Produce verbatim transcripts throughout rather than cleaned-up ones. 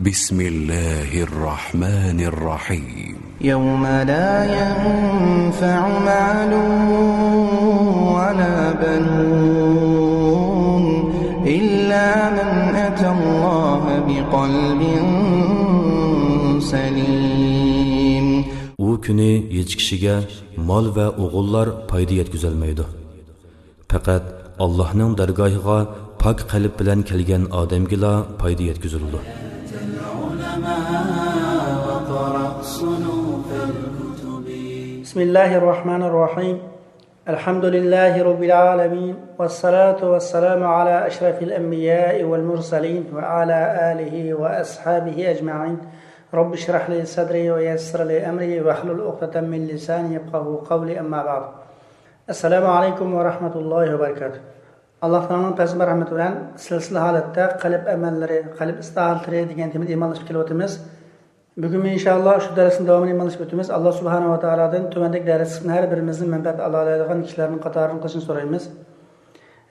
بسم الله الرحمن الرحيم. يوم لا ينفع مال ولا بنون إلا من أتى الله بقلب سليم. ئۇ كۈنى ھېچ كىشىگە مال ۋە ئوغۇللار پايدا يەتكۈزەلمەيدۇ. پەقەت ئاللاھنىڭ دەرگاھىغا پاك قەلب بىلەن كەلگەن ئادەمگىلا پايدا يەتكۈزۈلىدۇ. بسم الله الرحمن الرحيم. الحمد لله رب العالمين، والصلاة والسلام على أشرف الأنبياء والمرسلين وعلى آله وأصحابه أجمعين. رب اشرح لي صدري ويسر لي أمري واحلل عقدة من لساني يفقهوا قولي، أما بعد. السلام عليكم ورحمة الله وبركاته. ئاللاھ تائالانىڭ پەيغەمبەر رەھمىتى بىلەن سىلسىلە ھالەتتە قەلب ئەمەللىرى، قەلب ئىسلاھاتلىرى دېگەن تېمىدا ئىمانلىشىپ كېلىۋاتىمىز. بۈگۈنمۇ ئىنشائاللاھ شۇ دەرسنىڭ داۋامىنى ئىمانلىشىپ ئۆتىمىز. ئاللاھ سۇبھانەھۇ ۋە تائالادىن تۆۋەندىكى دەرسلىكتىن ھەر بىرىمىزنىڭ مەنپەئەت ئالالايدىغان كىشىلەردىن قاتارىدىن قىلىشىنى سورايمىز.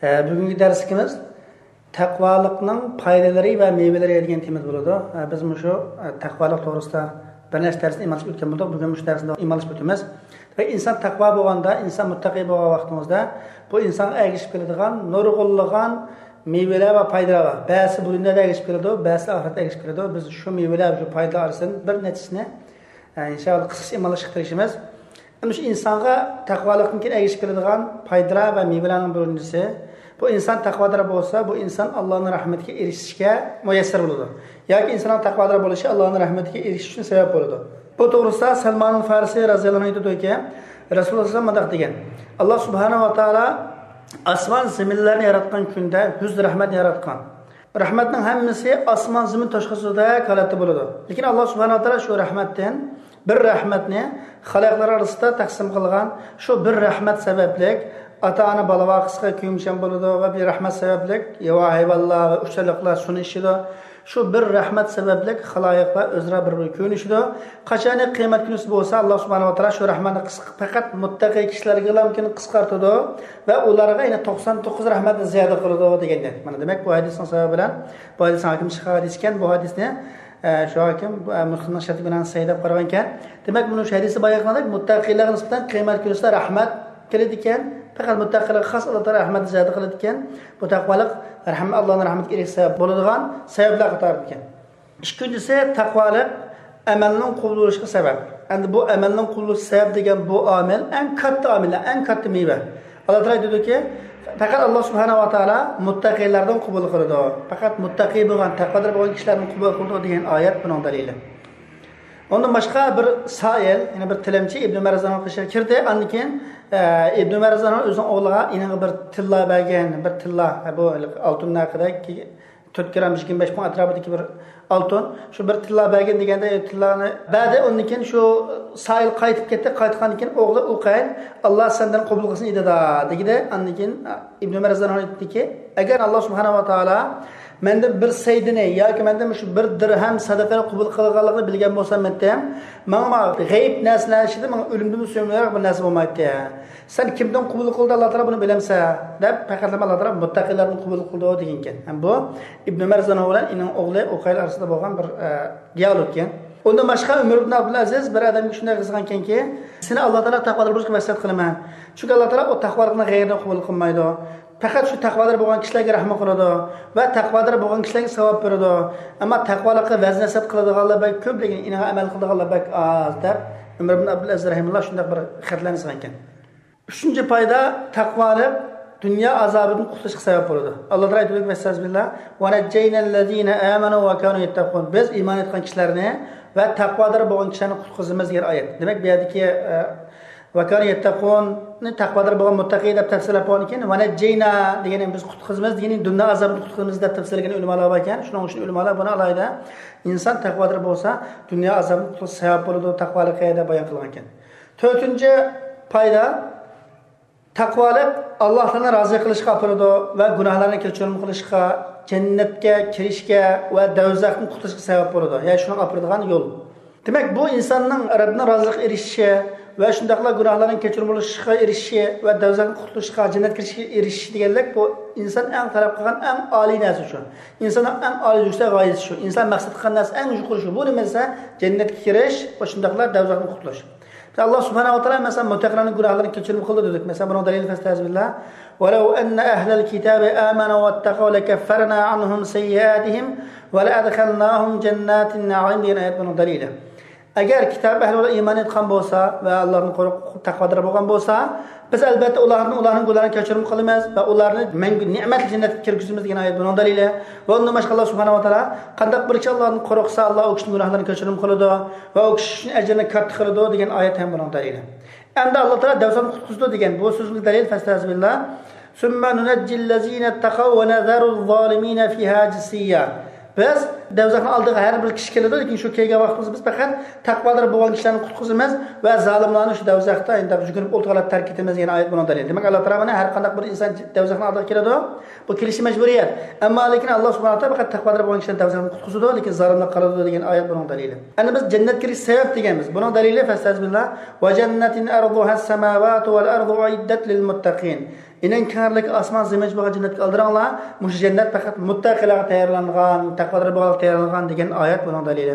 ئە، بۈگۈنكى دەرسلىكىمىز تەقۋالىقنىڭ پايدىلىرى ۋە مېۋىلىرى دېگەن تېمىدا بولىدۇ. ئە، بىز مۇشۇ، ئە، تەقۋالىق توغرىسىدا بىر نەچچە دەرسنى ئىمانلىشىپ ئۆتكەن بولدۇق. بۈگۈن مۇشۇ دەرسنى ئىمانلىشىپ ئۆتىمىز. ۋە ئىنسان تەقۋا بولغاندا، ئىنسان مۇتتەقىي بولغان ۋاقتىمىزدا، بۇ ئىنسانغا ئەگىشىپ كېلىدىغان نۇرغۇنلىغان مېۋىلەر ۋە پايدىلار بار. بەزىسى بۇ دۇنيادا ئەگىشىپ كېلىدۇ، بەزىسى ئاخىرەتتە ئەگىشىپ كېلىدۇ. بىز شۇ مېۋىلەر، شۇ پايدىلار ئارىسىدىن بىر نەچچىسىنى، ئە، ئىنشائاللاھ قىسقىچە ئىمانلاشقا تىرىشىمىز. ئەمدى شۇ ئىنسانغا تەقۋالىقتىن كېيىن ئەگىشىپ كېلىدىغان پايدىلار ۋە مېۋىلەرنىڭ بىرىنچىسى، بۇ ئىنسان تەقۋادار بولسا، بۇ ئىنسان ئاللانىڭ رەھمىتىگە ئېرىشىشكە مۇيەسسەر بولىدۇ. ياكى ئىنساننىڭ تەقۋادار بولۇشى ئاللانىڭ رەھمىتىگە ئېرىشىش ئۈچۈن سەۋەب بولىدۇ. بۇ توغرىسىدا سەلمانۇل فارسى رەزىياللاھۇ ئەنھۇ ئېيتىدۇكى، رەسۇلۇللاھ سەللەللاھۇ ئەلەيھى ۋەسەللەم مۇنداق دېگەن: ئاللاھ سۇبھانەھۇ ۋە تائالا ئاسمان زېمىنلەرنى ياراتقان كۈندە يۈز رەھمەتنى ياراتقان. رەھمەتنىڭ ھەممىسى ئاسمان زېمىن توشقۇزىدەك ھالەتتە بولىدۇ. لېكىن ئاللاھ سۇبھانەھۇ ۋە تائالا شۇ رەھمەتتىن بىر رەھمەتنى خالايىقلار ئارىسىدا تەقسىم قىلغان. شۇ بىر رەھمەت سەۋەبلىك ئاتا-ئانا بالا ۋاقىسىغا كۆيۈمچان بولىدۇ ۋە بىر رەھمەت سەۋەبلىك ياۋا ھايۋانلار ۋە ئۇچارلىقلار سۇنى ئىچىدۇ. شۇ بىر رەھمەت سەۋەبلىك خالايىقلار ئۆزئارا بىر-بىرىگە كۆيۈنۈشىدۇ. قاچانكى قىيامەت كۈنىسى بولسا، ئاللاھ سۇبھانەھۇ ۋە تائالا شۇ رەھمەتنى قىسقا-، پەقەت مۇتتەقىي كىشىلەرگىلا مۇمكىن قىسقارتىدۇ ۋە ئۇلارغا يەنە توقسان توققۇز رەھمەتنى زىيادە قىلىدۇ دېگەندەك. مانا دېمەك، بۇ ھەدىسنىڭ سەۋەبى بىلەن، بۇ ھەدىس ھاكىم چىققان ھەدىس ئىكەن، بۇ ھەدىسنى، ئە، شۇ ھاكىم، ئە، مۇسلىمنىڭ شەرتى بىلەن سەھىھ دەپ قارىغان ئىكەن. دېمەك، مۇنۇ شۇ ھەدىستە بايان قىلغاندەك، مۇتتەقىيلارغا نىسبەتەن قىيامەت كۈنىسىدە رەھمەت كېلىدىكەن، پەقەت مۇتتەقىيلارغا خاس ئاللاھ تائالا رەھمەتنى زىيادە قىلىدىكەن. بۇ تەقۋالىق رەھمەت، ئاللاھنىڭ رەھمىتىگە ئېرىشىش سەۋەب بولىدىغان سەۋەبلەر قاتارىدىكەن. ئىككىنچىسى، تەقۋالىق ئەمەلنىڭ قوبۇل بولۇشىغا سەۋەب. ئەمدى بۇ ئەمەلنىڭ قوبۇل بولۇش سەۋەب دېگەن بۇ ئامىل ئەڭ كاتتا ئامىل، ئەڭ كاتتا مېۋە. ئاللاھ تائالا ئېيتىدۇكى، پەقەت ئاللاھ سۇبھانەھۇ ۋە تائالا مۇتتەقىيلاردىن قوبۇل قىلىدۇ. پەقەت مۇتتەقىي بولغان، تەقۋادار بولغان كىشىلەردىن قوبۇل قىلىدۇ دېگەن ئايەت بۇنىڭ دەلىلى. ئۇندىن باشقا بىر سائىل، يەنى بىر تىلەمچى ئىبن ئۆمەر رەزىياللاھۇ ئەنھۇ قېشىغا كىردى. ئاندىن كېيىن، ئە، ئىبن ئۆمەر رەزىياللاھۇ ئەنھۇ ئۆزىنىڭ ئوغلىغا، ئىنىڭغا بىر تىللا بەرگىن، بىر تىللا، بۇ ئالتۇن ھەققىدە تۆت گرام يىگىرمە بەش مىڭ ئەتراپىدىكى بىر ئالتۇن، شۇ بىر تىللا بەرگىن دېگەندە، تىللانى بەردى. ئۇندىن كېيىن شۇ سائىل قايتىپ كەتتى. قايتقاندىن كېيىن ئوغلى ئۇقەيل، «ئاللاھ سەندىن قوبۇل قىلسۇن ئىدىدا» دېگىدە، ئاندىن كېيىن ئىبن ئۆمەر رەزىياللاھۇ ئەنھۇ ئېيتتىكى، ئەگەر ئاللاھ سۇبھانەھۇ ۋە تائالا مەندىن بىر سەيدىنى ياكى مەندىن مۇشۇ بىر دىرھەم سەدىقىنى قوبۇل قىلغانلىقىنى بىلگەن بولسام، مېنىڭ غەيىب نەرسىلەر ئىچىدە ماڭا ئۆلۈمدىن سۆيۈملۈرەك بىر نەرسە بولمايتتى. سەن كىمدىن قوبۇل قىلدى، ئاللاھ تائالا بۇنى بىلەمسەن؟ دەپ پەقەتلا ئاللاھ تائالا مۇتتەقىلەردىن قوبۇل قىلدى دېگەنكەن. ھەم بۇ ئىبن ئۆمەر رەزىياللاھۇ ئەنھۇ بىلەن ئېنىڭ ئوغلى ئۇقەيل ئارىسىدا بولغان بىر، ئە، دىئالوگكەن. ئۇندىن باشقا ئۆمەر ئىبن ئابدۇلئەزىز بىر ئادەمگە شۇنداق يازغانكەنكى، سېنى ئاللاھ تائالا تەقۋادار بولۇشقا ۋەسىيەت قىلىمەن. چۈنكى ئاللاھ تائالا ئۇ تەقۋالىقنىڭ غەيرىنى قوبۇل قىلمايدۇ. پەقەت شۇ تەقۋادار بولغان كىشىلەرگە رەھمەت قىلىدۇ ۋە تەقۋادار بولغان كىشىلەرگە ساۋاب بېرىدۇ. ئەمما تەقۋالىققا ۋەز-نەسىھەت قىلىدىغانلار بەك كۆپ، لېكىن ئېنىڭغا ئەمەل قىلىدىغانلار بەك ئاز، دەپ ئۆمەر ئىبن ئابدۇلئەزىز رەھىمەھۇللاھ شۇنداق بىر خەتلەرنى يازغانكەن. ئۈچىنچى پايدا، تەقۋالىق دۇنيا ئازابىدىن قۇتۇلۇشقا سەۋەب بولىدۇ. ئاللاھ تائالا ئېيتىدۇ، ئەستەغپىرۇللاھ، «ونجينا الذين آمنوا وكانوا يتقون». بىز ئىمان ئېيتقان كىشىلەرنى ۋە تەقۋادار بولغان كىشىلەرنى قۇتقۇزىمىز دېگەن ئايەت. دېمەك، بۇ يەردىكى، ئە، «وكانوا يتقون»نى تەقۋادار بولغان مۇتتەقى دەپ تەپسىرلەپ بولغاندىن كېيىن، «ونجينا» دېگەننى بىز قۇتقۇزىمىز دېگىنى، دۇنيا ئازابىدىن قۇتقۇزىمىز دەپ تەپسىرلىگەن ئۆلىمالار بار ئىكەن. شۇنىڭ ئۈچۈن ئۆلىمالار بۇنى ئالاھىدە ئىنسان تەقۋادار بولسا، دۇنيا ئازابىدىن قۇتۇلۇشقا سەۋەب بولىدۇ، تەقۋالىقى دەپ بايان قىلغان ئىكەن. تۆتىنچى پايدا، تەقۋالىق ئاللاھ تائالانى رازى قىلىشقا ئاپىرىدۇ ۋە گۇناھلارنى كەچۈرۈم قىلىشقا، جەننەتكە كىرىشكە ۋە دوزاختىن قۇتۇلۇشقا سەۋەب بولىدۇ. يەنى شۇنىڭغا ئاپىرىدىغان يول. دېمەك، بۇ ئىنساننىڭ رەببىنىڭ رازىلىقىغا ئېرىشىشى ۋە شۇنداقلا گۇناھلارنىڭ كەچۈرۈم بولۇشىغا ئېرىشىشى ۋە دوزاختىن قۇتۇلۇشقا، جەننەتكە كىرىشكە ئېرىشىشى دېگەنلىك، بۇ ئىنسان ئەڭ تەلەپ قىلغان ئەڭ ئالىي نەرسە شۇ. ئىنساننىڭ ئەڭ ئالىي يۈكسەك غايىسى شۇ. ئىنسان مەقسەت قىلغان نەرسە ئەڭ يۇقىرى شۇ. بۇ نېمە دېسە، جەننەتكە كىرىش، شۇنداقلا دوزاختىن قۇتۇلۇش. ئاللا سۇبھانەھۇ ۋە تائالا، مەسىلەن، مۇتتەقىلەرنىڭ گۇناھلىرىنى كەچۈرۈم قىلىدۇ دېدۇق. مەسىلەن، بۇنىڭ دەلىلى، فەستەئىزبىللا، ولو أن أهل الكتاب آمنوا واتقوا لكفرنا عنهم سيئاتهم ولأدخلناهم جنات النعيم دېگەن ئايەت بۇنىڭ دەلىلى. ئەگەر كىتاب ئەھلى ئىمان ئېيتقان بولسا ۋە ئاللادىن قورقۇپ تەقۋادار بولغان بولسا، بىز ئەلبەتتە ئۇلارنى، ئۇلارنىڭ گۇناھلىرىنى كەچۈرۈم قىلىمىز ۋە ئۇلارنى مەڭگۈ نېمەتلىك جەننەتكە كىرگۈزىمىز دېگەن ئايەت بۇنىڭ دەلىلى. ۋە ئۇندىن باشقا ئاللا سۇبھانەھۇ ۋە تائالا، قانداق بىر كىشى ئاللادىن قورقسا، ئاللا ئۇ كىشىنىڭ گۇناھلىرىنى كەچۈرۈم قىلىدۇ ۋە ئۇ كىشى ئۈچۈن ئەجرىنى كاتتا قىلىدۇ دېگەن ئايەت ھەم بۇنىڭ دەلىلى. ئەمدى ئاللا تائالا دوزاختىن قۇتقۇزىدۇ دېگەن بۇ سۆزگە دەلىل، فەستەئىزبىللا، ثم ننجي الذين اتقوا ونذر الظالمين فيها جثيا. بىز دوزاخنىڭ ئالدىغا ھەر بىر كىشى كېلىدۇ، لېكىن شۇ كەلگەن ۋاقتىمىزدا بىز پەقەت تەقۋادار بولغان كىشىلەرنى قۇتقۇزىمىز ۋە زالىملارنى شۇ دوزاختا ئەندى يۈگۈرۈپ ئولتۇرغانلاردا تەرك ئېتىمىز دېگەن ئايەت بۇنىڭ دەلىلى. دېمەك، ئاللا تائالا مانا ھەر قانداق بىر ئىنسان دوزاخنىڭ ئالدىغا كېلىدۇ، بۇ كېلىشى مەجبۇرىيەت. ئەمما لېكىن ئاللا سۇبھانەھۇ ۋە تائالا پەقەت تەقۋادار بولغان كىشىلەرنى دوزاختىن قۇتقۇزىدۇ، لېكىن زالىملار قالىدۇ دېگەن ئايەت بۇنىڭ دەلىلى. ئەنە بىز جەننەتكە كىرىش سەۋەب دېگەنمىز. بۇنىڭ دەلىلى، فەستەئىزبىللا، وجنة عرضها السماوات والأرض أعدت للمتقين. ئېنىڭ كەڭلىكى ئاسمان زېمىن بولغان جەننەتكە ئالدىراڭلار، مۇشۇ جەننەت پەقەت مۇتتەقىلەرگە تەييارلانغان، تەقۋادار بولغانلارغا تەييارلانغان دېگەن ئايەت بۇنىڭ دەلىلى.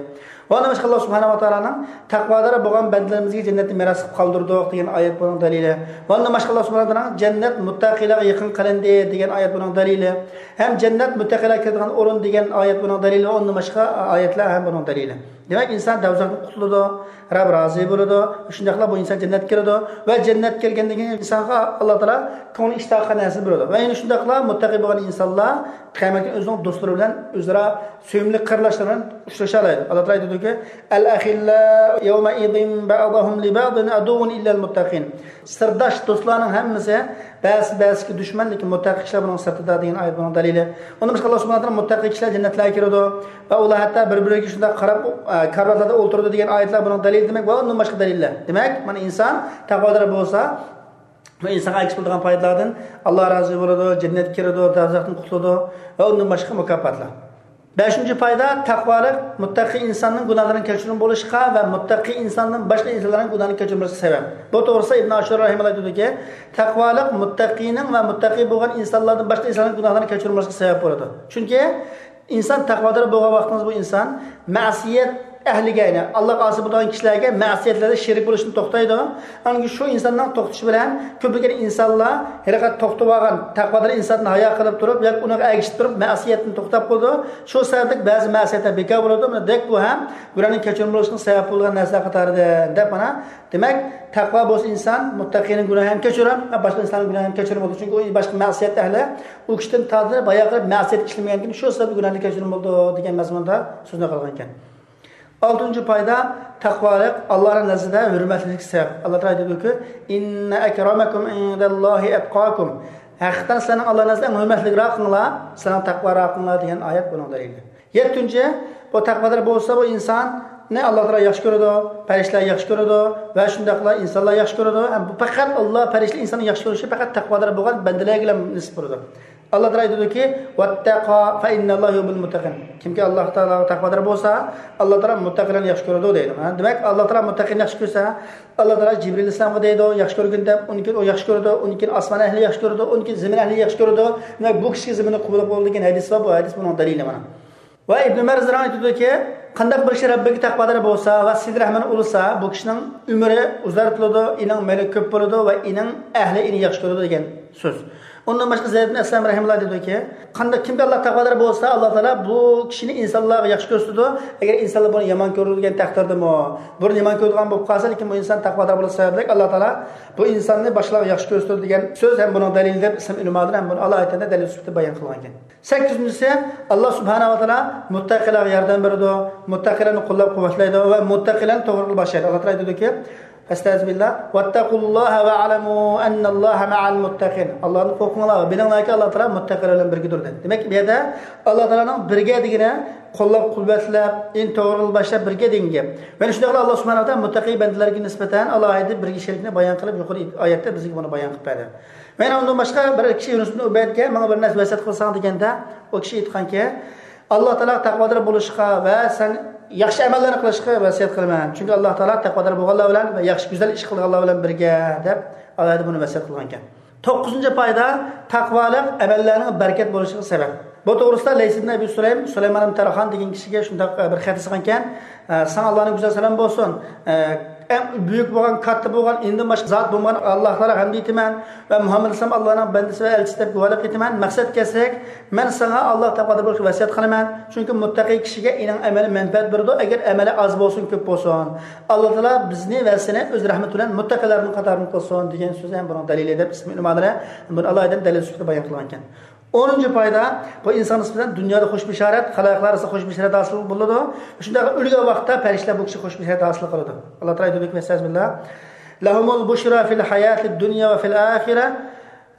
ۋە ئۇندىن باشقا ئاللا سۇبھانەھۇ ۋە تائالانىڭ تەقۋادار بولغان بەندىلىرىمىزگە جەننەتنى مىراس قىلىپ قالدۇردۇق دېگەن ئايەت بۇنىڭ دەلىلى. ۋە ئۇندىن باشقا ئاللا سۇبھانەھۇ ۋە تائالانىڭ جەننەت مۇتتەقىلەرگە يېقىن قىلىندى دېگەن ئايەت بۇنىڭ دەلىلى. ھەم جەننەت مۇتتەقىلەر كىرىدىغان ئورۇن دېگەن ئايەت بۇنىڭ دەلىلى. ۋە ئۇندىن باشقا ئايەتلەر ھەم بۇنىڭ دەلىلى. دېمەك، ئىنسان دوزاختىن قۇتۇلىدۇ، رەب رازى بولىدۇ، شۇنداقلا بۇ ئىنسان جەننەتكە كىرىدۇ ۋە جەننەتكە كىرگەندىن كېيىن ئىنسانغا ئاللا تائالا كۆڭلى ئىشتىھا قىلغان نەرسىنى بېرىدۇ. ۋە يەنە شۇنداقلا مۇتتەقى بولغان ئىنسانلار قىيامەت كۈنى ئۆزىنىڭ دوستلىرى بىلەن ئۆزئارا سۆيۈملۈك قېرىنداشلىرى بىلەن ئۇچرىشالايدۇ. ئاللا تائالا ئېيتىدۇكى، الأخلاء يومئذ بعضهم لبعض عدو إلا المتقين. سىرداش دوستلارنىڭ ھەممىسى بەزىسى بەزىسىگە دۈشمەن، لېكىن مۇتتەقى كىشىلەر بۇنىڭ سىرتىدا دېگەن ئايەت بۇنىڭ دەلىلى. ئۇندىن باشقا ئاللا سۇبھانەھۇ ۋە تائالا مۇتتەقى كىشىلەر جەننەتلەرگە كىرىدۇ ۋە ئۇلار ھەتتا بىر-بىرىگە شۇنداق قاراپ، ئە، كارىۋاتلاردا ئولتۇرىدۇ دېگەن ئايەتلەر بۇنىڭ دەلىلى. دېمەك، ۋە ئۇندىن باشقا دەلىللەر. دېمەك، مانا ئىنسان تەقۋادار بولسا، بۇ ئىنسانغا ئەگىشىپ بولىدىغان پايدىلاردىن ئاللا رازى بولىدۇ، جەننەتكە كىرىدۇ، دوزاختىن قۇتۇلىدۇ ۋە ئۇندىن باشقا مۇكاپاتلار. بەشىنچى پايدا، تەقۋالىق مۇتتەقى ئىنساننىڭ گۇناھلىرىنىڭ كەچۈرۈم بولۇشىغا ۋە مۇتتەقى ئىنساندىن باشقا ئىنسانلارنىڭ گۇناھىنى كەچۈرمىسىگە سەۋەب. بۇ توغرىسىدا ئىبن ئاشۇر رەھىمەھۇللا ئېيتىدۇكى، تەقۋالىق مۇتتەقىنىڭ ۋە مۇتتەقى بولغان ئىنسانلاردىن باشقا ئىنسانلارنىڭ گۇناھلىرىنى كەچۈرمىسىگە سەۋەب بولىدۇ. چۈنكى ئىنسان تەقۋادار بولغان ۋاقتىڭىزدا بۇ ئىنسان مەسىيەت ئەھلىگە، يەنى ئاللاغا ئاسىي بولىدىغان كىشىلەرگە مەسىيەتلەردە شېرىك بولۇشتىن توختايدۇ. ئاندىن كېيىن شۇ ئىنساننىڭ توختىشى بىلەن كۆپلىگەن ئىنسانلار ھېلىقى توختىۋالغان تەقۋادار ئىنساندىن ھايا قىلىپ تۇرۇپ ياكى ئۇنىڭغا ئەگىشىپ تۇرۇپ مەسىيەتتىن توختاپ قالىدۇ. شۇ سەۋەبلىك بەزى مەسىيەتلەر بىكار بولىدۇ. مانا دەك بۇ ھەم گۇناھنىڭ كەچۈرۈم بولۇشىنىڭ سەۋەب بولغان نەرسىلەر قاتارىدىن دەپ مانا دېمەك، تەقۋا بولسا ئىنسان، مۇتتەقىنىڭ گۇناھى ھەم كەچۈرۈم، باشقا ئىنساننىڭ گۇناھى ھەم كەچۈرۈم بولىدۇ. چۈنكى ئۇ باشقا مەسىيەت ئەھلى ئۇ كىشىدىن تارتىپ بايا قىلىپ مەسىيەت ئىشلىمىگەنكىن، شۇ سەۋەبلىك گۇناھى كەچۈرۈم بولىدۇ دېگەن مەزمۇندا سۆزنى قىلغان ئىكەن. ئالتىنچى پايدا، تەقۋالىق ئاللانىڭ نەزىرىدە ھۆرمەتلىككە سەۋەب. ئاللا تائالا ئېيتىدۇكى، إن أكرمكم عند الله أتقاكم. ھەقىقەتەن سىلەرنىڭ ئاللا نەزىرىدە ئەڭ ھۆرمەتلىكراقىڭلار، سىلەرنىڭ تەقۋاراقىڭلار دېگەن ئايەت بۇنىڭ دەلىلى. يەتتىنچى، بۇ تەقۋادار بولسا، بۇ ئىنساننى ئاللا تائالا ياخشى كۆرىدۇ، پەرىشتىلەر ياخشى كۆرىدۇ ۋە شۇنداقلا ئىنسانلار ياخشى كۆرىدۇ. ھەم بۇ پەقەت ئاللا پەرىشتە ئىنساننى ياخشى كۆرۈشى پەقەت تەقۋادار بولغان بەندىلەرگىلا نېسىپ بولىدۇ. ئاللا تائالا ئېيتىدۇكى، واتقوا فإن الله يحب المتقين. كىمكى ئاللا تائالاغا تەقۋادار بولسا، ئاللا تائالا مۇتتەقىلەرنى ياخشى كۆرىدۇ دەيدۇ. ھە، دېمەك، ئاللا تائالا مۇتتەقىنى ياخشى كۆرسە، ئاللا تائالا جىبرىل ئەلەيھىسسالامغا دەيدۇ، ياخشى كۆرگىن دەپ، ئۇنىڭ كېيىن ئۇ ياخشى كۆرىدۇ، ئۇنىڭ كېيىن ئاسمان ئەھلى ياخشى كۆرىدۇ، ئۇنىڭ كېيىن زېمىن ئەھلى ياخشى كۆرىدۇ. دېمەك، بۇ كىشىگە زېمىننى قوبۇل قىلىدۇ دېگەن ھەدىس بار، بۇ ھەدىس بۇنىڭ دەلىلى مانا. ۋە ئىبن ئۆمەر رەزىياللاھۇ ئەنھۇ ئېيتىدۇكى، قانداق بىر كىشى رەببىگە تەقۋادار بولسا ۋە سىلە رەھمىنى ئۇلىسا، بۇ كىشىنىڭ ئۆمرى ئۇزارتىلىدۇ، ئېنىڭ مېلى كۆپ بولىدۇ ۋە ئېنىڭ ئەھلى ئېنى ياخشى كۆرىدۇ دېگەن سۆز. ئۇندىن باشقا زەيد ئىبن ئەسلەم رەھىمەھۇللاھ دېدىكى، قانداق، كىمكى ئاللاغا تەقۋادار بولسا، ئاللا تائالا بۇ كىشىنى ئىنسانلارغا ياخشى كۆرسىتىدۇ، ئەگەر ئىنسانلار بۇنى يامان كۆرىدۇ دېگەن تەقدىردىمۇ، بۇنى يامان كۆرىدىغان بولۇپ قالسا، لېكىن بۇ ئىنسان تەقۋادار بولۇش سەۋەبلىك ئاللا تائالا بۇ ئىنساننى باشقىلارغا ياخشى كۆرسىتىدۇ دېگەن سۆز ھەم بۇنىڭ دەلىلى دەپ ئىسلام ئۆلىمالىرى ھەم بۇنى ئالاھىدە دەلىل سۈپىتىدە بايان قىلغان ئىكەن. سەككىزىنچىسى، ئاللا سۇبھانەھۇ ۋە تائالا مۇتتەقىلەرگە ياردەم بېرىدۇ، مۇتتەقىلەرنى قوللاپ-قۇۋۋەتلەيدۇ ۋە مۇتتەقىلەرنى توغرا يولغا باشلايدۇ. ئاللا تائالا ئېيتىدۇكى، فەستەئىزبىللا، واتقۇللاھ ۋەئلەمۇ ئەننەللاھ مەئەل مۇتتەقىن. ئاللادىن قورقۇڭلار ۋە بىلىڭلاركى، ئاللا تائالا مۇتتەقىلەر بىلەن بىرگىدۇر، دېدى. دېمەك، بۇ يەردە ئاللا تائالانىڭ بىرگە دېگىنى قوللاپ-قۇۋۋەتلەپ، ئېنى توغرا يولغا باشلاپ بىرگە دېگەن گەپ. يەنە شۇنداقلا ئاللا سۇبھانەھۇ ۋە تائالا مۇتتەقى بەندىلەرگە نىسبەتەن ئالاھىدە بىرگە شېرىكنى بايان قىلىپ، يۇقىرى ئايەتتە بىزگە بۇنى بايان قىلىپ بەردى. يەنە ئۇندىن باشقا بىر كىشى يۇنۇس ئىبن ئۇبەيدكە، ماڭا بىر نەرسە ۋەسىيەت قىلساڭ دېگەندە، ئۇ كىشى ئېيتقانكى، ئاللا تائالاغا تەقۋادار بولۇشقا ۋە سەن ياخشى ئەمەللەرنى قىلىشقا ۋەسىيەت قىلىمەن. چۈنكى ئاللا تائالا تەقۋادار بولغانلار بىلەن ۋە ياخشى، گۈزەل ئىش قىلغانلار بىلەن بىرگە، دەپ ئالاھىدە بۇنى ۋەسىيەت قىلغانىكەن. توققۇزىنچى پايدا، تەقۋالىق ئەمەللەرنىڭ بەرىكەت بولۇشىغا سەۋەب. بۇ توغرىسىدا لەيس ئىبن ئەبى سۇلەيم، سۇلايمان ئىبن تەرخان دېگەن كىشىگە شۇنداق، ئە، بىر خەت يازغانىكەن، ئە، ساڭا ئاللانىڭ گۈزەل سالامى بولسۇن. ئە، ئەڭ بۈيۈك بولغان، كاتتا بولغان، ئىندىن باشقا زات بولمىغان ئاللاغا ھەمدە ئېيتىمەن ۋە مۇھەممەد ئەلەيھىسسالام ئاللانىڭ بەندىسى ۋە ئەلچىسى دەپ گۇۋاھلىق ئېيتىمەن. مەقسەت كەلسەك، مەن ساڭا ئاللاغا تەقۋادار بولۇشقا ۋەسىيەت قىلىمەن. چۈنكى مۇتتەقىي كىشىگە ئېنىڭ ئەمەلى مەنپەئەت بېرىدۇ، ئەگەر ئەمەلى ئاز بولسۇن، كۆپ بولسۇن. ئاللا تائالا بىزنى ۋە سېنى ئۆز رەھمىتى بىلەن مۇتتەقىلەرنىڭ قاتارىدىن قىلسۇن، دېگەن سۆز ھەم بۇنىڭ دەلىلى دەپ ئىسلام ئۆلىمالىرى بۇنى ئالاھىدە دەلىل سۈپىتىدە بايان قىلغانىكەن. ئونىنچى پايدا، بۇ ئىنسان نىسبەتەن دۇنيادا خۇش بېشارەت، خەلقلەر ئارىسىدا خۇش بېشارەت ھاسىل بولىدۇ. شۇنداق ئۆلگەن ۋاقىتتا پەرىشتىلەر بۇ كىشىگە خۇش بېشارەت ھاسىل قىلىدۇ. ئاللا تائالا ئېيتىدۇكى، ئەستەغپىرۇللا، لەھۇمۇل بۇشرا فىل ھاياتىد دۇنيا ۋە فىل ئاخىرە،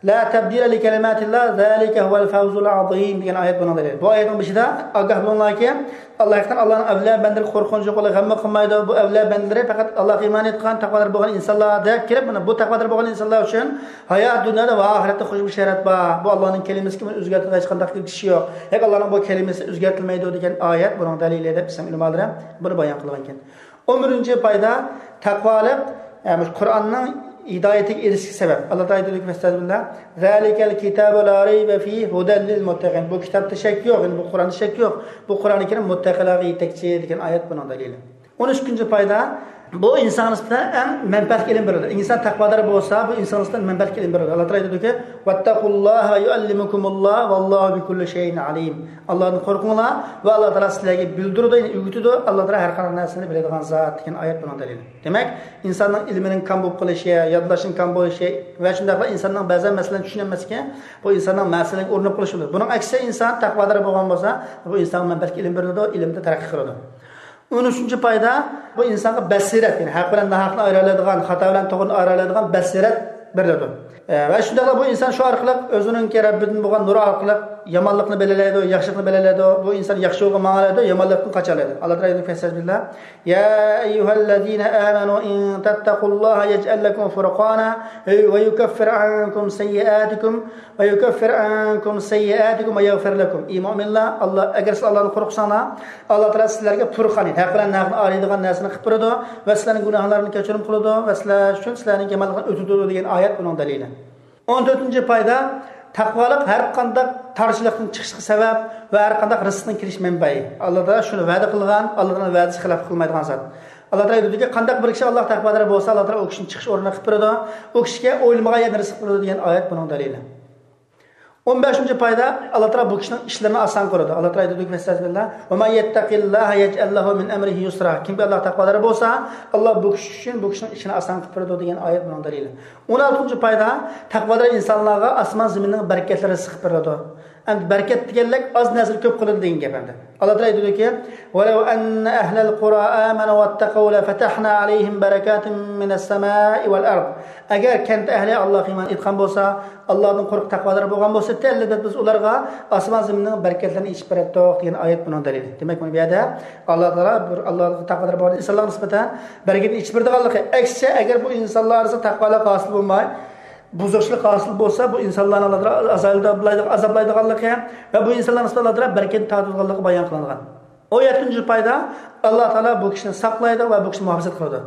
لا تەبدىلە لىكەلىماتىللا، زالىكە ھۇۋەل فەۋزۇل ئازىم، دېگەن ئايەت بۇنىڭ دەلىلى. بۇ ئايەتنىڭ بېشىدا، ئاگاھ بولۇڭلاركى، ئاللا ھەقىقەتەن ئاللانىڭ ئەۋلىيا بەندىلىرى قورقۇنچ يوق، ئاللا غەممۇ قىلمايدۇ. بۇ ئەۋلىيا بەندىلىرى پەقەت ئاللاغا ئىمان ئېيتقان، تەقۋادار بولغان ئىنسانلار، دەپ كېلىپ، مانا بۇ تەقۋادار بولغان ئىنسانلار ئۈچۈن ھايات دۇنيادا ۋە ئاخىرەتتە خۇش بېشارەت بار. بۇ ئاللانىڭ كەلىمىسىگە بۇنى ئۆزگەرتىدىغان ھېچقانداق كۈچ يوق. ھەق ئاللانىڭ بۇ كەلىمىسى ئۆزگەرتىلمەيدۇ، دېگەن ئايەت بۇنىڭ دەلىلى دەپ ئىسلام ئۆلىمالىرى بۇنى بايان قىلغانىكەن. ئون بىرىنچى پايدا، تەقۋالىق، يەنى مۇشۇ قۇرئاننىڭ ھىدايىتىگە ئېرىشىشكە سەۋەب. ئاللا تائالا ئېيتىدۇكى، ئەستەغپىرۇللا، زالىكەل كىتابۇ لا رەيبە فىھ ھۇدەل لىل مۇتتەقىن. بۇ كىتابتا شەك يوق، يەنى بۇ قۇرئاندا شەك يوق. بۇ قۇرئانى كەرىم مۇتتەقىلارغا يېتەكچى، دېگەن ئايەت بۇنىڭ دەلىلى. ئون ئۈچىنچى پايدا، بۇ ئىنسان نىسبەتەن ئەڭ مەنپەئەتلىك ئىلىم بېرىدۇ. ئىنسان تەقۋادار بولسا، بۇ ئىنسان نىسبەتەن مەنپەئەتلىك ئىلىم بېرىدۇ. ئاللا تائالا ئېيتىدۇكى، ۋەتتەقۇللاھە ۋە يۇئەللىمۇكۇمۇللا ۋەللاھۇ بىكۇللى شەيئىن ئەلىم. ئاللادىن قورقۇڭلار ۋە ئاللا تائالا سىلەرگە بىلدۈرىدۇ، يەنى ئۆگىتىدۇ. ئاللا تائالا ھەر قانداق نەرسىنى بىلىدىغان زات، دېگەن ئايەت بۇنىڭ دەلىلى. دېمەك، ئىنساننىڭ ئىلمىنىڭ كام بولۇپ قېلىشى، يادلاشنىڭ كام بولۇشى ۋە شۇنداقلا ئىنساننىڭ بەزەن مەسىلىنى چۈشىنەلمەسلىكى، بۇ ئىنساننىڭ مەسىلىگە ئۇرۇنۇپ قېلىشى بولىدۇ. بۇنىڭ ئەكسىچە، ئىنسان تەقۋادار بولغان بولسا، بۇ ئىنسانغا مەنپەئەتلىك ئىلىم بېرىلىدۇ، ئىلىمدە تەرەققىي قىلىدۇ. ئون ئۈچىنچى پايدا، بۇ ئىنسانغا بەسىرەت، يەنى ھەق بىلەن ناھەقنى ئايرىيالايدىغان، خاتا بىلەن توغرىنى ئايرىيالايدىغان بەسىرەت بېرىلىدۇ. ئە، ۋە شۇنداقلا بۇ ئىنسان شۇ ئارقىلىق ئۆزىنىڭكى رەببىدىن بولغان نۇر ئارقىلىق يامانلىقنى بىلەلەيدۇ، ياخشىلىقنى بىلەلەيدۇ. بۇ ئىنسان ياخشى يولغا ماڭالايدۇ، يامانلىقتىن قاچالايدۇ. ئاللا تائالا ئېيتىدۇ، فەستەئىز بىللا، يا ئەييۇھەللەزىنە ئامەنۇ ئىن تەتتەقۇللاھە يەجئەل لەكۇم فۇرقانا ۋە يۇكەففىر ئەنكۇم سەييئاتىكۇم ۋە يۇكەففىر ئەنكۇم سەييئاتىكۇم ۋە يەغفىر لەكۇم. ئى مۆمىنلەر، ئاللا، ئەگەر سىز ئاللادىن قورقساڭلار، ئاللا تائالا سىلەرگە پۇرقان، ھەق بىلەن ناھەقنى ئايرىيدىغان نەرسىنى قىلىپ بېرىدۇ ۋە سىلەرنىڭ گۇناھلىرىنى كەچۈرۈم قىلىدۇ ۋە سىلەر ئۈچۈن سىلەرنىڭ يامانلىقىنى ئۆتىدۇ، دېگەن ئايەت بۇنىڭ دەلىلى. ئون تۆتىنچى پايدا، تەقۋالىق ھەر قانداق تارچىلىقتىن چىقىشقا سەۋەب ۋە ھەر قانداق رىزقنىڭ كېلىش مەنبەسى. ئاللا تائالا شۇنى ۋەدە قىلغان، ئاللا تائالا ۋەدىسىگە خىلاپ قىلمايدىغان زات. ئاللا تائالا ئېيتىدۇكى، قانداق بىر كىشى ئاللاغا تەقۋادار بولسا، ئاللا تائالا ئۇ كىشىنى چىقىش ئورنىنى قىلىپ بېرىدۇ، ئۇ كىشىگە ئويلىمىغان يەردىن رىزىق بېرىدۇ، دېگەن ئايەت بۇنىڭ دەلىلى. ئون بەشىنچى پايدا، ئاللا تائالا بۇ كىشىنىڭ ئىشلىرىنى ئاسان قىلىدۇ. ئاللا تائالا ئېيتىدۇكى، فەستەئىز بىللا، ۋە مەن يەتتەقىللاھە يەجئەل لەھۇ مىن ئەمرىھى يۇسرا. كىمكى ئاللاغا تەقۋادار بولسا، ئاللا بۇ كىشى ئۈچۈن بۇ كىشىنىڭ ئىشىنى ئاسان قىلىپ بېرىدۇ، دېگەن ئايەت بۇنىڭ دەلىلى. ئون ئالتىنچى پايدا، تەقۋادار ئىنسانلارغا ئاسمان زېمىننىڭ بەرىكەتلىرى سىقىپ بېرىدۇ. ئەمدى بەرىكەت دېگەنلىك ئاز نەرسىنى كۆپ قىلىدۇ دېگەن گەپ ئەمدى. ئاللا تائالا ئېيتىدۇكى، ۋەلەۋ ئەننە ئەھلەل قۇرا ئامەنۇ ۋەتتەقەۋ لەفەتەھنا ئەلەيھىم بەرەكاتىم مىنەس سەمائى ۋەل ئەرد. ئەگەر كەنت ئەھلى ئاللاغا ئىمان ئېيتقان بولسا، ئاللادىن قورقۇپ تەقۋادار بولغان بولسا، ئەلۋەتتە بىز ئۇلارغا ئاسمان زېمىننىڭ بەرىكەتلىرىنى ئېچىپ بېرەتتۇق، دېگەن ئايەت بۇنىڭ دەلىلى. دېمەك، مانا بۇ يەردە ئاللا تائالا بىر ئاللاغا تەقۋادار بولغان ئىنسانلارغا نىسبەتەن بەرىكەتنى ئېچىپ بېرىدىغانلىقى، ئەكسىچە، ئەگەر بۇ ئىنسانلار ئارىسىدا تەقۋالىق ھاسىل بولماي، بۇزۇقچىلىق ھاسىل بولسا، بۇ ئىنسانلارنى ئاللا تائالا ئازابلايدىغان، ئازابلايدىغانلىقى ۋە بۇ ئىنسانلارنى ئاللا تائالا بەرىكەتنى تارتىدىغانلىقى بايان قىلىنغان. ئون يەتتىنچى پايدا، ئاللا تائالا بۇ كىشىنى ساقلايدۇ ۋە بۇ كىشىنى مۇھاپىزەت قىلىدۇ.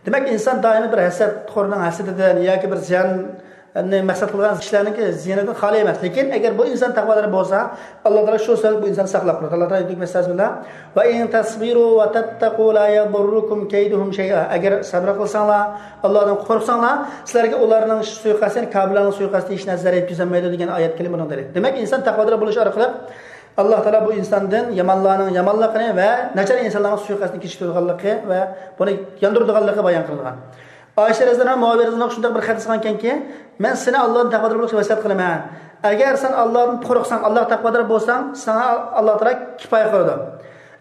دېمەك، ئىنسان دائىم بىر ھەسەتخورنىڭ ھەسىتىدىن ياكى بىر زىياننى مەقسەت قىلغان كىشىلەرنىڭكى زىيىنىدىن خالىي ئەمەس. لېكىن ئەگەر بۇ ئىنسان تەقۋادار بولسا، ئاللا تائالا شۇ سەۋەبلىك بۇ ئىنساننى ساقلاپ قالىدۇ. ئاللا تائالا ئېيتىدۇ، بىسمىللا، ۋە ئىن تەسبىرۇ ۋە تەتتەقۇ لا يەضۇررۇكۇم كەيدۇھۇم شەيئا. ئەگەر سەبرى قىلساڭلار، ئاللادىن قورقساڭلار، سىلەرگە ئۇلارنىڭ سۇيىقەستى، يەنى كاپىرلارنىڭ سۇيىقەستى ھېچ نەرسە زەرەر يەتكۈزەلمەيدۇ، دېگەن ئايەت كەلىمە بۇنىڭ دەلىلى. دېمەك، ئىنسان تەقۋادار بولۇش ئارقىلىق ئاللا تائالا بۇ ئىنساندىن يامانلارنىڭ يامانلىقىنى ۋە ناچار ئىنسانلارنىڭ سۇيىقەستىنى كېچىكتۈرىدىغانلىقى ۋە بۇنى ياندۇرىدىغانلىقى بايان قىلىنغان. ئائىشە رەزىياللاھۇ ئەنھا، مۇئاۋىيە رەزىياللاھۇ ئەنھۇ شۇنداق بىر خەت يازغانكەنكى، مەن سېنى ئاللادىن تەقۋادار بولۇشقا ۋەسىيەت قىلىمەن. ئەگەر سەن ئاللادىن قورقساڭ، ئاللاغا تەقۋادار بولساڭ، ساڭا ئاللا تائالا كۇپايە قىلىدۇ.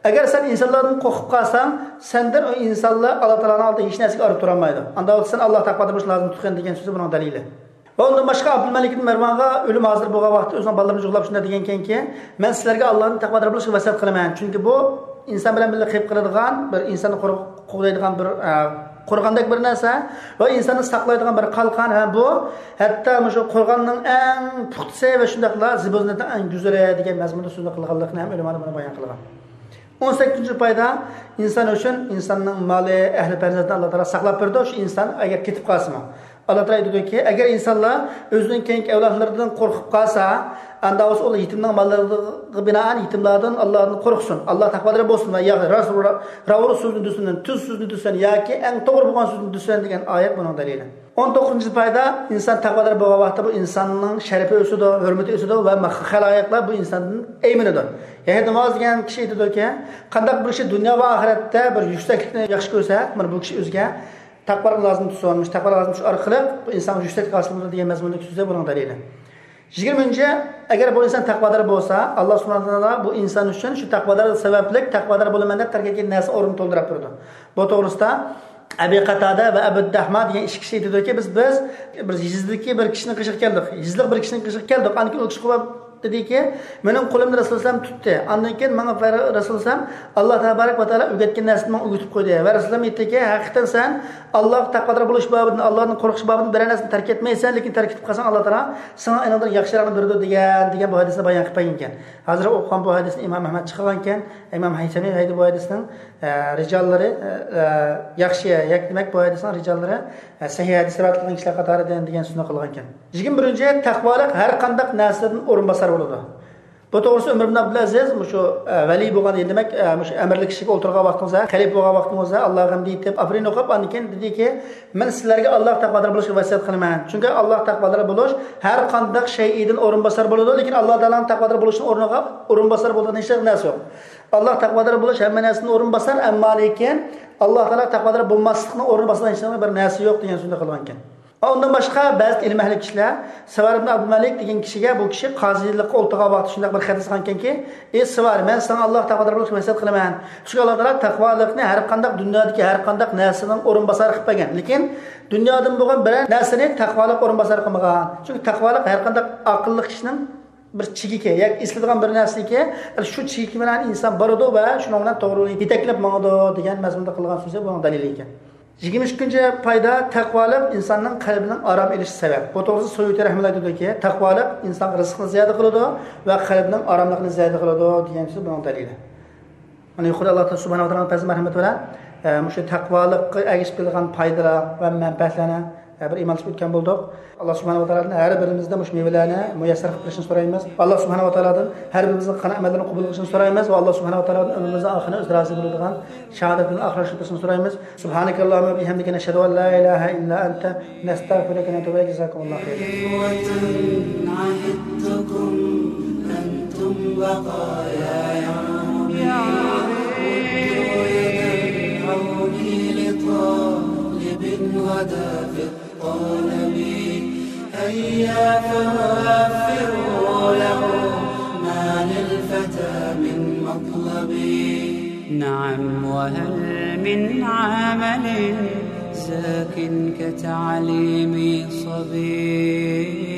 ئەگەر سەن ئىنسانلاردىن قورقۇپ قالساڭ، سەندىن ئۇ ئىنسانلار ئاللا تائالانىڭ ئالدىدا ھېچ نەرسىگە ئارا تۇرالمايدۇ. ئاندا ۋاقىتتا سەن ئاللاغا تەقۋادار بولۇش لازىم تۇتقىن، دېگەن سۆزى بۇنىڭ دەلىلى. ۋە ئۇندىن باشقا ئابدۇلمەلىك ئىبن مەرۋانغا ئۆلۈم ھازىر بولغان ۋاقىتتا ئۆزىنىڭ بالىلىرىنى جۇغلاپ شۇنداق دېگەنكەنكى، مەن سىلەرگە ئاللادىن تەقۋادار بولۇشقا ۋەسىيەت قىلىمەن. چۈنكى بۇ ئىنسان بىلەن بىللە قېلىپ قالىدىغان بىر ئىنساننى قور-، قوغدايدىغان بىر، ئە، قورغاندەك بىر نەرسە ۋە ئىنساننى ساقلايدىغان بىر قالقان ھەم بۇ ھەتتا مۇشۇ قورغاننىڭ ئەڭ پۇختىسى ۋە شۇنداقلا زىبۇ زىننەتنىڭ ئەڭ گۈزىلى دېگەن مەزمۇندا سۆزنى قىلغانلىقىنى ھەم ئۆلىمالار بۇنى بايان قىلغان. ئون سەككىزىنچى پايدا، ئىنسان ئۈچۈن ئىنساننىڭ مالى، ئەھلى پەرزەنتىنى ئاللا تائالا ساقلاپ بېرىدۇ، شۇ ئىنسان ئەگەر كېتىپ قالسىمۇ. ئاللا تائالا ئېيتىدۇكى، ئەگەر ئىنسانلار ئۆزىنىڭ كېيىنكى ئەۋلادلىرىدىن قورقۇپ قالسا، ئاندا بولسا ئۇلار يېتىمنىڭ ماللىرىغا بىنائەن يېتىملاردىن ئاللادىن قورقسۇن، ئاللا تەقۋادار بولسۇن ۋە يا راست، راۋۇر سۆزنى دېسۇن، تۈز سۆزنى دېسۇن ياكى ئەڭ توغرا بولغان سۆزنى دېسۇن دېگەن ئايەت بۇنىڭ دەلىلى. ئون توققۇزىنچى پايدا، ئىنسان تەقۋادار بولغان ۋاقىتتا بۇ ئىنساننىڭ شەرىپى ئۆسىدۇ، ھۆرمىتى ئۆسىدۇ ۋە خەلائىقلار بۇ ئىنساندىن ئەيمىنىدۇ. يەھيا ناماز دېگەن كىشى ئېيتىدۇكى، قانداق بىر كىشى دۇنيا ۋە ئاخىرەتتە بىر يۈكسەكلىكنى ياخشى كۆرسە، مانا بۇ كىشى ئۆزىگە تەقۋالىق لازىم تۇتسۇن، مۇشۇ تەقۋالىق لازىم تۇتۇش ئارقىلىق بۇ ئىنسانغا يۈكسەكلىك ھاسىل بولىدۇ دېگەن مەزمۇندىكى سۆزى بۇنىڭ دەلىلى. يىگىرمىنچى، ئەگەر بۇ ئىنسان تەقۋادار بولسا، ئاللا سۇبھانەھۇ ۋە تائالا بۇ ئىنسان ئۈچۈن شۇ تەقۋادار سەۋەبلىك تەقۋادار بولىمەن دەپ تەرك ئەتكەن نەرسە ئورنىنى تولدۇرۇپ بېرىدۇ. بۇ توغرىسىدا ئەبى قاتادە ۋە ئەبۇ دەھما دېگەن ئىككى كىشى ئېيتىدۇكى، بىز، بىز بىر يېزىدىكى بىر كىشىنىڭ قېشىغا كەلدۇق. يېزىلىق بىر كىشىنىڭ قېشىغا كەلدۇق. ئاندىن كېيىن ئۇ كىشى قويۇپ دېدىكى، مېنىڭ قولۇمنى رەسۇلۇللا تۇتتى. ئاندىن كېيىن ماڭا رەسۇلۇللا، ئاللا تەبارەك ۋە تائالا ئۆگەتكەن نەرسىنى ماڭا ئۆگىتىپ قويدى. ۋە رەسۇلۇللا ئېيتتىكى، ھەقىقەتەن سەن ئاللاغا تەقۋادار بولۇش بابىدىن، ئاللادىن قورقۇش بابىدىن بىرەر نەرسىنى تەرك ئەتمەيسەن، لېكىن تەرك ئېتىپ قالساڭ، ئاللا تائالا ساڭا ئېنىڭدىن ياخشىراقنى بېرىدۇ دېگەن، دېگەن بۇ ھەدىسنى بايان قىلىپ بەرگەنكەن. ھازىر ئوقۇغان بۇ ھەدىسنى ئىمام ئەھمەد چىقارغانكەن. ئىمام ھەيسەمى ھەيدە بۇ ھەدىسنىڭ، ئە، رىجاللىرى، ئە، ئە، ياخشى، يەك دېمەك بۇ ھەدىسنىڭ رىجاللىرى، ئە، سەھىھ ھەدىس رىۋايەت قىلغان كىشىلەر قاتارىدىن دېگەن سۆزنى قىلغانكەن. يىگىرمە بىرىنچى، تەقۋالىق ھەر قانداق نەرسىدىن ئورۇنباسار بولىدۇ. بۇ توغرىسىدا ئۆمەر ئىبن ئابدۇلئەزىز، مۇشۇ، ئە، ۋەلىي بولغان، دېمەك، ئە، مۇشۇ ئەمىرلىك كىشىگە ئولتۇرغان ۋاقتىڭىزدا، خەلىپە بولغان ۋاقتىڭىزدا، ئاللاغا ھەمدە ئېيتىپ، ئاپىرىن ئوقۇپ، ئاندىن كېيىن دېدىكى، مەن سىلەرگە ئاللاغا تەقۋادار بولۇشقا ۋەسىيەت قىلىمەن. چۈنكى ئاللاغا تەقۋادار بولۇش ھەر قانداق شەيئىدىن ئورۇنباسار بولىدۇ، لېكىن ئاللا تائالانىڭ تەقۋادار بولۇشىنىڭ ئورنىغا ئورۇنباسار بولىدىغان ھېچ نەرسە يوق. ئاللاغا تەقۋادار بولۇش ھەممە نەرسىدىن ئورۇنباسار، ئەمما لېكىن ئاللا تائالا تەقۋادار بولماسلىقنىڭ ئورنىنى باسىدىغان ھېچ بىر نەرسە يوق دېگەن سۆزنى قىلغانكەن. ئۇندىن باشقا بەزى ئىلىم ئەھلى كىشىلەر سىۋار ئىبن ئابدۇمەلىك دېگەن كىشىگە، بۇ كىشى قازىلىققا ئولتۇرغان ۋاقتى شۇنداق بىر خەت يازغانكەنكى، ئى سىۋار، مەن ساڭا ئاللاغا تەقۋادار بولۇشقا ۋەسىيەت قىلىمەن. چۈنكى ئاللا تائالا تەقۋالىقنى ھەر قانداق دۇنيادىكى ھەر قانداق نەرسىنىڭ ئورۇنباسارى قىلىپ بەرگەن. لېكىن دۇنيادىن بولغان بىرەر نەرسىنى تەقۋالىق ئورۇنباسارى قىلمىغان. چۈنكى تەقۋالىق ھەر قانداق ئاقىللىق كىشىنىڭ بىر چېكىكى، ياكى ئېسىلىدىغان بىر نەرسىكى، شۇ چېكى بىلەن ئىنسان بارىدۇ ۋە شۇنىڭ بىلەن توغرا يولغا يېتەكلەپ ماڭىدۇ دېگەن مەزمۇندا قىلغان سۆزى بۇنىڭ دەلىلى ئىكەن. يىگىرمە ئۈچىنچى پايدا، تەقۋالىق ئىنساننىڭ قەلبىنىڭ ئارام ئېلىشى سەۋەب. بۇ توغرىسىدا سۇيۇتى رەھمەتۇللا ئېيتىدۇكى، تەقۋالىق ئىنسانغا رىزقىنى زىيادە قىلىدۇ ۋە قەلبىنىڭ ئاراملىقىنى زىيادە قىلىدۇ دېگەن سۆز بۇنىڭ دەلىلى. مانا يۇقىرىدا ئاللا سۇبھانەھۇ ۋە تائالانىڭ پەيزى مەرھەمىتى بىلەن، ئە، مۇشۇ تەقۋالىققا ئەگىشىپ كېلىدىغان پايدىلار ۋە مەنپەئەتلەرنى، ئە، بىر ئىمانلىشىپ ئۆتكەن بولدۇق. ئاللا سۇبھانەھۇ ۋە تائالادىن ھەر بىرىمىزدە مۇشۇ مېۋىلەرنى مۇيەسسەر قىلىپ بېرىشىنى سورايمىز. ئاللا سۇبھانەھۇ ۋە تائالادىن ھەر بىرىمىزنىڭ قىلغان ئەمەللىرىنى قوبۇل قىلىشىنى سورايمىز ۋە ئاللا سۇبھانەھۇ ۋە تائالادىن ئۆمرىمىزنىڭ ئاخىرىنى ئۆزى رازى بولىدىغان شاھادەت بىلەن ئاخىرلاشتۇرۇپ بېرىشىنى سورايمىز. سبحانك اللهم وبحمدك، نشهد أن لا إله إلا أنت، نستغفرك ونتوب إليك. جزاكم الله خيرا. إخوة عهدتكم أنتم بقايا يا ربي. مدوا يد العون لطالب غدا في الطلب. هيا فوفروا له ما للفتى من مطلب. نعم، وهل من عمل زاك كتعليم صبي؟